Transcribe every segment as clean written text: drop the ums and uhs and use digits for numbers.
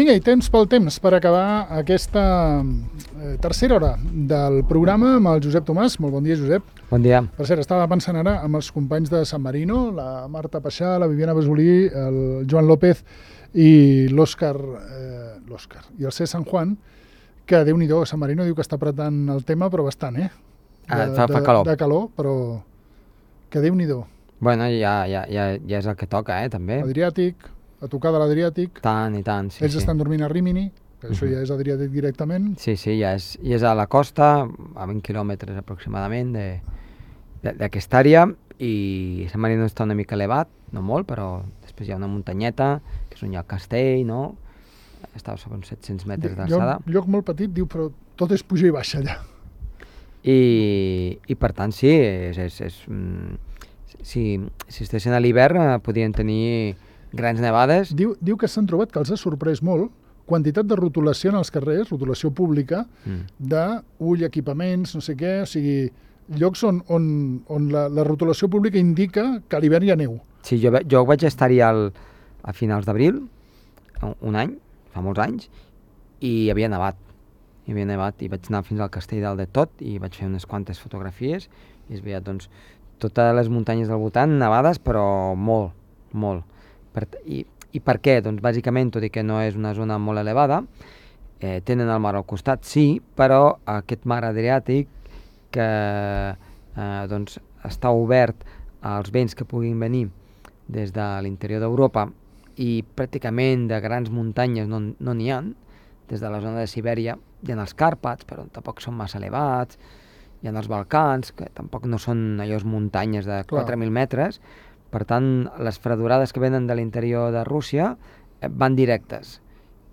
Vinga, i temps pel temps per acabar aquesta tercera hora del programa amb el Josep Tomàs. Molt bon dia, Josep. Bon dia. Per cert, estava pensant ara amb els companys de San Marino, la Marta Paixà, la Viviana Besolí, el Joan López i l'Òscar i el C. San Juan, que Déu-n'hi-do, San Marino diu que està apretant el tema, però bastant, Fa calor. De calor, però que Déu-n'hi-do. Bueno, ja és el que toca, també. Adriàtic, a tocar de l'Adriàtic. Tant i tant, sí. Ells estan dormint a Rímini, que això ja és Adriàtic directament. Sí, ja és a la costa, a 20 quilòmetres aproximadament d'aquesta àrea, i San Marino està una mica elevat, no molt, però després hi ha una muntanyeta, que és on hi ha el castell, no? Està sobre uns 700 metres d'alçada. Lloc molt petit, diu, però tot és puja i baixa allà. I per tant, sí, si estessin a l'hivern podrien tenir grans nevades. Diu que s'han trobat, que els ha sorprès molt, quantitat de rotulació en els carrers, rotulació pública, d'ull, equipaments, no sé què, o sigui, llocs on la rotulació pública indica que a l'hivern hi ha neu. Sí, jo vaig estar-hi a finals d'abril, un any, fa molts anys, i hi havia nevat. I vaig anar fins al castell dalt de tot i vaig fer unes quantes fotografies i es veia, doncs, totes les muntanyes del voltant nevades, però molt, molt. I per què? Doncs bàsicament, tot i que no és una zona molt elevada, tenen el mar al costat, sí, però aquest mar Adriàtic que doncs, està obert als vents que puguin venir des de l'interior d'Europa i pràcticament de grans muntanyes no n'hi ha, des de la zona de Sibèria hi ha els Càrpats, però tampoc són massa elevats, hi ha els Balcans, que tampoc no són allò muntanyes de 4.000 metres, per tant, les fredurades que venen de l'interior de Rússia van directes.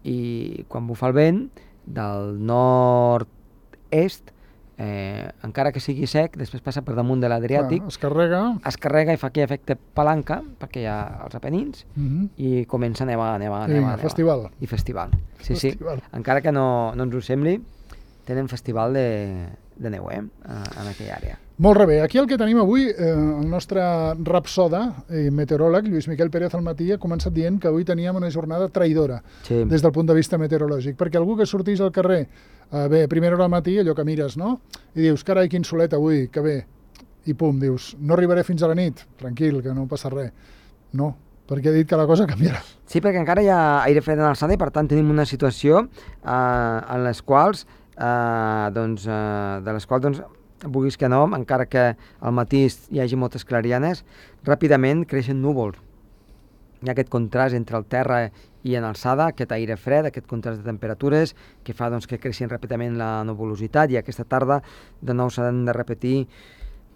I quan bufa el vent, del nord-est, encara que sigui sec, després passa per damunt de l'Adriàtic, es carrega i fa aquell efecte palanca, perquè hi ha els Apenins, i comença a nevar. Festival. I festival. Sí. Encara que no ens ho sembli, tenen festival de neu, en aquella àrea. Molt bé. Aquí el que tenim avui, el nostre rapsoda i meteoròleg, Lluís Miquel Pérez al matí, ha començat dient que avui teníem una jornada traïdora des del punt de vista meteorològic, perquè algú que sortís al carrer a primera hora al matí, allò que mires, no? I dius, carai, quin solet avui, que bé. I pum, dius, no arribaré fins a la nit. Tranquil, que no passa res. No, perquè ha dit que la cosa canviarà. Sí, perquè encara hi ha aire fred en alçada i per tant tenim una situació en les quals vulguis que no, encara que al matí hi hagi moltes clarianes, ràpidament creixen núvols. Hi ha aquest contrast entre el terra i en alçada, aquest aire fred, aquest contrast de temperatures que fa que creixin ràpidament la nuvolositat, i aquesta tarda de nou s'han de repetir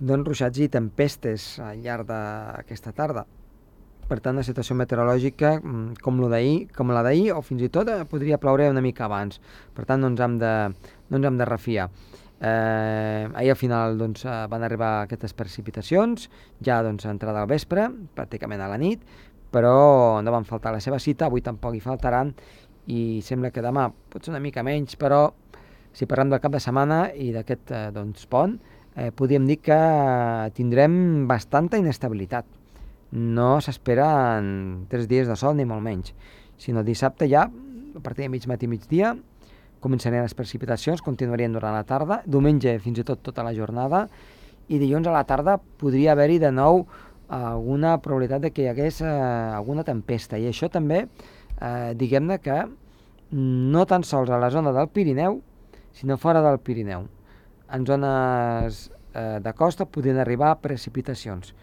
ruixats i tempestes al llarg d'aquesta tarda. Per tant, la situació meteorològica com la d'ahir, o fins i tot podria ploure una mica abans. Per tant, no ens hem de refiar. Ahir al final van arribar aquestes precipitacions, ja entrada al vespre, pràcticament a la nit, però no van faltar a la seva cita, avui tampoc hi faltaran, i sembla que demà pot ser una mica menys, però si parlem del cap de setmana i d'aquest pont, podríem dir que tindrem bastanta inestabilitat. No s'esperen 3 dies de sol ni molt menys, sinó dissabte ja, a partir de mig matí i migdia, començarien les precipitacions, continuarien durant la tarda, diumenge fins i tot tota la jornada, i dilluns a la tarda podria haver-hi de nou alguna probabilitat de que hi hagués alguna tempesta, i això també, diguem-ne que no tan sols a la zona del Pirineu, sinó fora del Pirineu. En zones de costa podrien arribar precipitacions.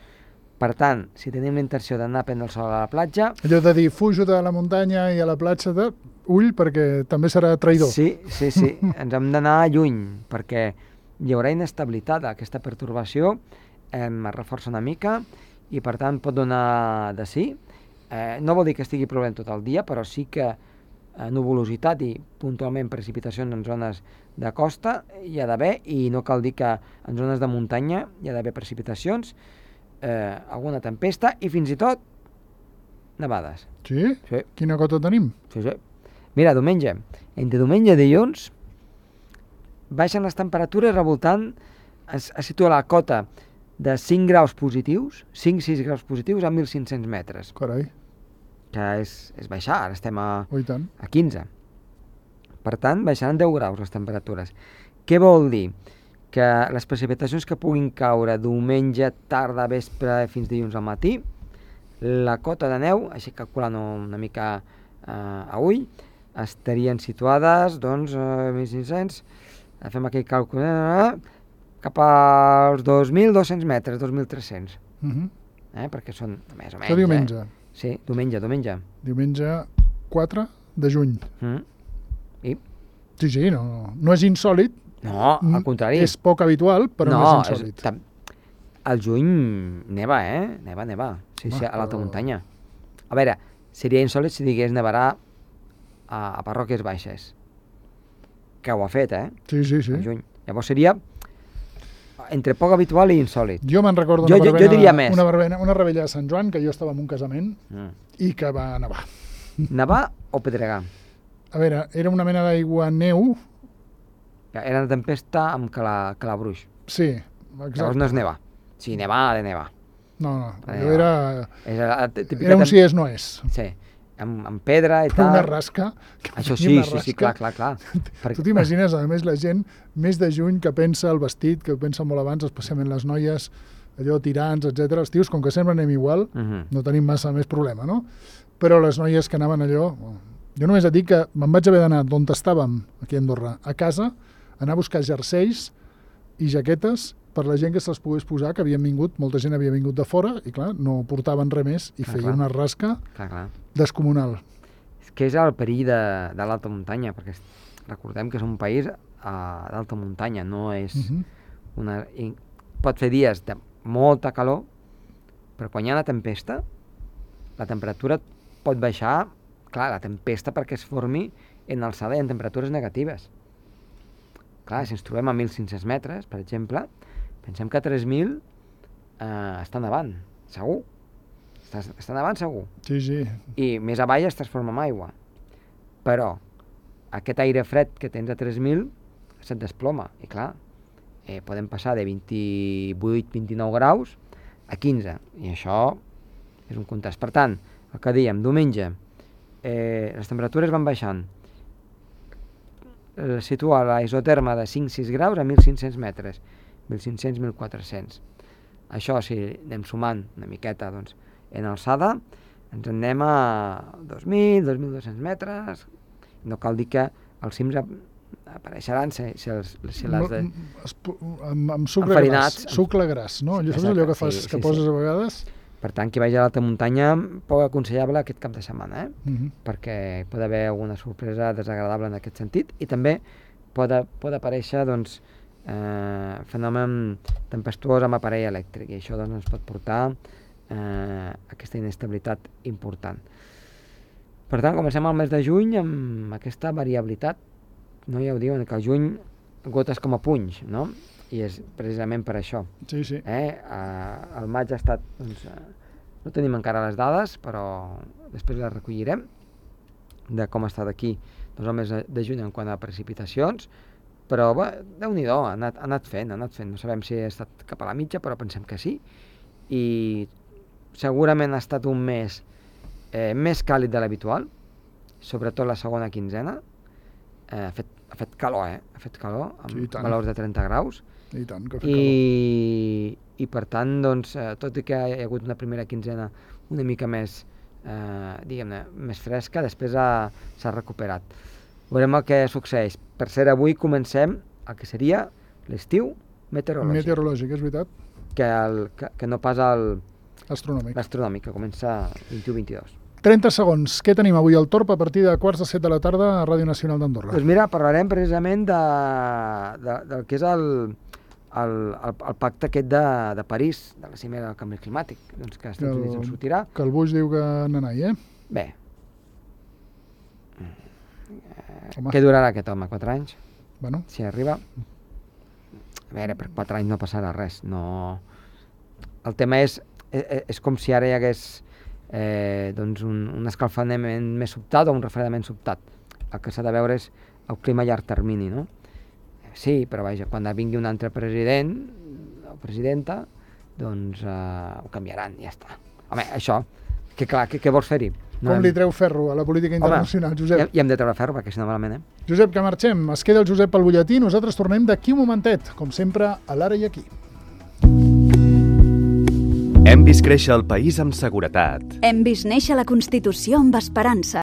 Per tant, si tenim la intenció d'anar a prendre el sol a la platja... Allò de dir, fujo de la muntanya i a la platja ull, perquè també serà traïdor. Sí, ens hem d'anar lluny, perquè hi haurà inestabilitat. Aquesta pertorbació es reforça una mica i, per tant, pot donar de sí. No vol dir que estigui plovent tot el dia, però sí que nuvolositat i puntualment precipitacions en zones de costa hi ha d'haver, i no cal dir que en zones de muntanya hi ha d'haver precipitacions, alguna tempesta i fins i tot nevades. Sí? Quina cota tenim? Sí. Mira, entre diumenge i dilluns baixen les temperatures revoltant, es situa la cota de 5 graus positius, 5-6 graus positius a 1.500 metres. Carai. que és baixar, ara estem a 15. Per tant, baixaran 10 graus les temperatures. Què vol dir? Que les precipitacions que puguin caure diumenge, tarda, vespre, fins dilluns al matí, la cota de neu, així calculant una mica a ull, estarien situades, doncs, 1.500, fem aquell càlcul, cap als 2.200 metres, 2.300. Perquè són més o menys. Això diumenge. Sí, diumenge. Diumenge 4 de juny. I? Sí, no és insòlid. No, al contrari. És poc habitual, però no és insòlid. Al juny neva, Neva. Sí, a l'alta muntanya. A veure, seria insòlid si digués nevarà a Parròquies Baixes. Que ho ha fet, Sí. Al juny. Llavors seria entre poc habitual i insòlid. Jo me'n recordo una rebella de Sant Joan, que jo estava en un casament, i que va nevar. Nevar o pedregar? A veure, era una mena d'aigua-neu. Era una tempesta amb calabruix. Sí, exacte. Llavors no és nevar. Sí, nevar ha de nevar. No, allò era un si és no és. Sí, amb pedra i tal. Una rasca. Això sí, clar. Tu t'imagines, a més, la gent més de juny que pensa el vestit, que pensa molt abans, especialment les noies, allò tirants, etc. Els tios, com que sempre anem igual, no tenim massa més problema, no? Però les noies que anaven allò... Jo només et dic que me'n vaig haver d'anar d'on estàvem, aquí a Andorra, a casa, anar a buscar jerseis i jaquetes per la gent que se'ls pogués posar, que havien vingut, molta gent havia vingut de fora, i clar, no portaven res més, i feia una rasca descomunal. És que és el perill de l'alta muntanya, perquè recordem que és un país d'alta muntanya, no és una... Pot fer dies de molta calor, però quan hi ha una tempesta, la temperatura pot baixar, clar, la tempesta perquè es formi en alçada i en temperatures negatives. Clar, si ens trobem a 1.500 metres, per exemple, pensem que a 3.000 està nevant, segur. Està nevant segur. Sí. I més avall es transforma en aigua. Però aquest aire fred que tens a 3.000 se't desploma. I clar, podem passar de 28-29 graus a 15. I això és un contrast. Per tant, el que dèiem, diumenge, les temperatures van baixant. Situa la isoterma de 5-6 graus a 1.500 metres. 1.500-1.400. Això, si anem sumant una miqueta, doncs, en alçada, ens en anem a 2.000, 2.200 metres. No cal dir que els cims apareixeran si les de... Amb sucre gras, no? Allò, saps allò que fas, que poses a vegades? Per tant, qui vagi a l'alta muntanya, poc aconsellable aquest cap de setmana, perquè pot haver alguna sorpresa desagradable en aquest sentit, i també pot aparèixer, doncs, fenomen tempestuós amb aparell elèctric, i això doncs, ens pot portar aquesta inestabilitat important. Per tant, comencem el mes de juny amb aquesta variabilitat, no? Ja ho diuen, que al juny gotes com a punys, no? I és precisament per això. Sí. El maig ha estat... Doncs, no tenim encara les dades, però després les recollirem, de com ha estat aquí doncs, el mes de juny en quant a precipitacions, però Déu-n'hi-do, ha anat fent. No sabem si ha estat cap a la mitja, però pensem que sí. I segurament ha estat un mes més càlid de l'habitual, sobretot la segona quinzena. Ha fet calor, Ha fet calor, amb valors de 30 graus. I tant, que ha fet calor. I per tant, doncs, tot i que hi ha hagut una primera quinzena una mica més, diguem-ne, més fresca, després s'ha recuperat. Veurem el que succeeix. Per cert, avui comencem el que seria l'estiu meteorològic. Meteorològic, és veritat. Que no pas l'astronòmic, que comença 21-22. 30 segons. Què tenim avui al Torp a partir de 7:15 de la tarda a Ràdio Nacional d'Andorra? Doncs mira, parlarem precisament del que és el pacte aquest de París, de la cimera del canvi climàtic, doncs que als Estats Units en sortirà. Que el Bush diu que nanai, Bé. Què durarà aquest home? 4 anys? Bueno. Si arriba. A veure, per 4 anys no passarà res. No. El tema és com si ara hi hagués doncs un escalfament més sobtat o un refredament sobtat. El que s'ha de veure és el clima a llarg termini, no? Sí, però vaja, quan vingui un altre president o presidenta, doncs ho canviaran, ja està. Home, això, que clar, què vols fer-hi? com li treu ferro a la política internacional, Josep. I hem de treure ferro, perquè si no malament, Josep, que marxem. Es queda el Josep pel butlletí. Nosaltres tornem d'aquí un momentet, com sempre, a l'Ara i aquí. Hem vist créixer el país amb seguretat. Hem vist néixer la Constitució amb esperança.